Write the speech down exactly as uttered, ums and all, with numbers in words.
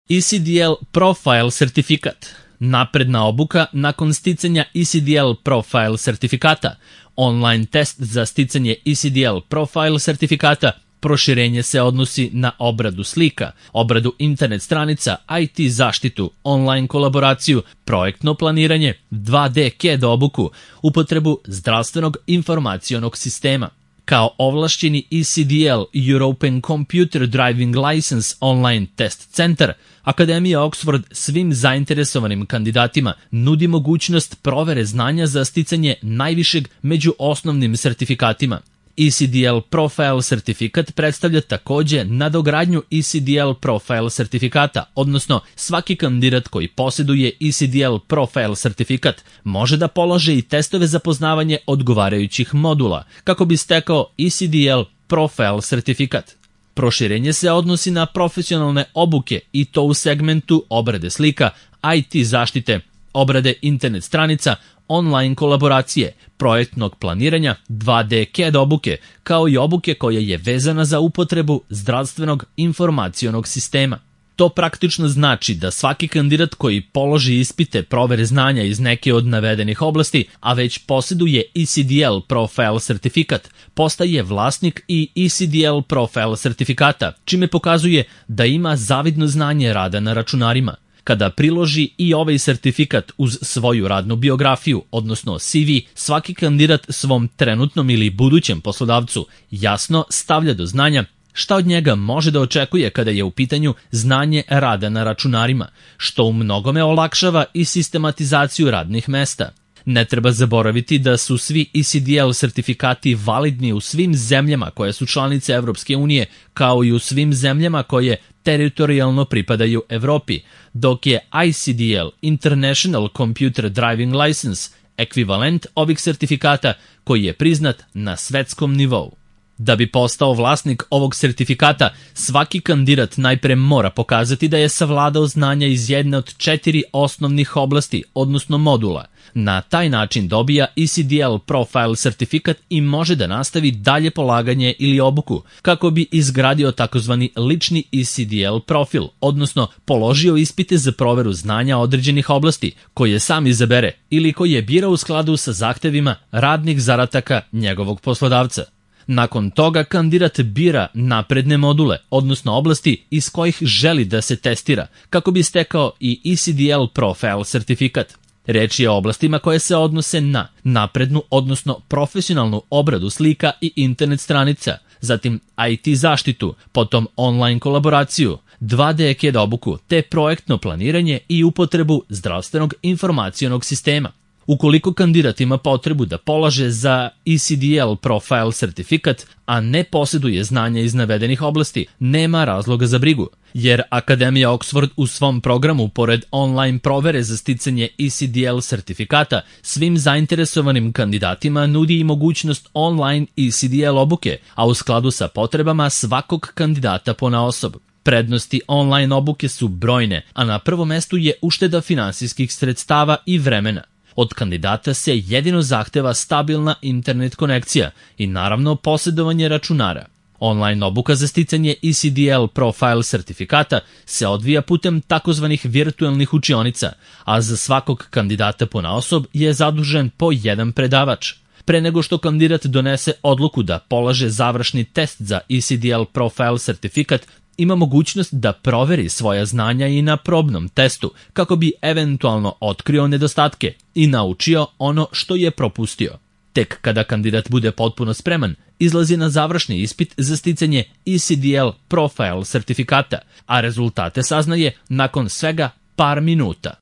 E C D L Profile sertifikat, napredna obuka nakon sticanja E C D L Profile sertifikata, online test za sticanje E C D L Profile sertifikata, proširenje se odnosi na obradu slika, obradu internet stranica, I T zaštitu, online kolaboraciju, projektno planiranje, dva D C A D obuku, upotrebu zdravstvenog informacionog sistema. Kao ovlašćeni E C D L European Computer Driving License Online Test Center, Akademija Oxford svim zainteresovanim kandidatima nudi mogućnost provere znanja za sticanje najvišeg među osnovnim sertifikatima. E C D L Profile sertifikat predstavlja takođe nadogradnju E C D L Profile sertifikata, odnosno svaki kandidat koji posjeduje E C D L Profile sertifikat može da polože i testove za poznavanje odgovarajućih modula, kako bi stekao E C D L Profile sertifikat. Proširenje se odnosi na profesionalne obuke i to u segmentu obrade slika, I T zaštite, obrade internet stranica, online kolaboracije, projektnog planiranja, dva D C A D obuke, kao i obuke koja je vezana za upotrebu zdravstvenog informacionog sistema. To praktično znači da svaki kandidat koji položi ispite provere znanja iz neke od navedenih oblasti, a već posjeduje E C D L Profile sertifikat, postaje vlasnik i E C D L Profile sertifikata, čime pokazuje da ima zavidno znanje rada na računarima. Kada priloži i ovaj sertifikat uz svoju radnu biografiju, odnosno C V, svaki kandidat svom trenutnom ili budućem poslodavcu jasno stavlja do znanja šta od njega može da očekuje kada je u pitanju znanje rada na računarima, što u mnogome olakšava i sistematizaciju radnih mesta. Ne treba zaboraviti da su svi E C D L sertifikati validni u svim zemljama koje su članice Evropske unije, kao i u svim zemljama koje teritorijalno pripadaju Evropi, dok je I C D L International Computer Driving License ekvivalent ovih sertifikata koji je priznat na svetskom nivou. Da bi postao vlasnik ovog sertifikata, svaki kandidat najpre mora pokazati da je savladao znanja iz jedne od četiri osnovnih oblasti, odnosno modula. Na taj način dobija E C D L Profile sertifikat i može da nastavi dalje polaganje ili obuku, kako bi izgradio takozvani lični E C D L profil, odnosno položio ispite za proveru znanja određenih oblasti, koje sam izabere ili koje bira u skladu sa zahtevima radnih zadataka njegovog poslodavca. Nakon toga kandidat bira napredne module, odnosno oblasti iz kojih želi da se testira, kako bi stekao i E C D L Profile sertifikat. Reč je o oblastima koje se odnose na naprednu, odnosno profesionalnu obradu slika i internet stranica, zatim I T zaštitu, potom online kolaboraciju, dva D C A D obuku, te projektno planiranje i upotrebu zdravstvenog informacionog sistema. Ukoliko kandidat ima potrebu da polaže za E C D L Profile sertifikat, a ne posjeduje znanja iz navedenih oblasti, nema razloga za brigu, jer Akademija Oxford u svom programu, pored online provere za sticanje E C D L sertifikata, svim zainteresovanim kandidatima nudi i mogućnost online E C D L obuke, a u skladu sa potrebama svakog kandidata ponaosob. Prednosti online obuke su brojne, a na prvom mestu je ušteda finansijskih sredstava i vremena. Od kandidata se jedino zahteva stabilna internet konekcija i naravno posjedovanje računara. Online obuka za sticanje E C D L Profile sertifikata se odvija putem takozvanih virtualnih učionica, a za svakog kandidata ponaosob je zadužen po jedan predavač. Pre nego što kandidat donese odluku da polaže završni test za E C D L Profile sertifikat, ima mogućnost da proveri svoja znanja i na probnom testu, kako bi eventualno otkrio nedostatke i naučio ono što je propustio. Tek kada kandidat bude potpuno spreman, izlazi na završni ispit za sticanje E C D L Profile sertifikata, a rezultate saznaje nakon svega par minuta.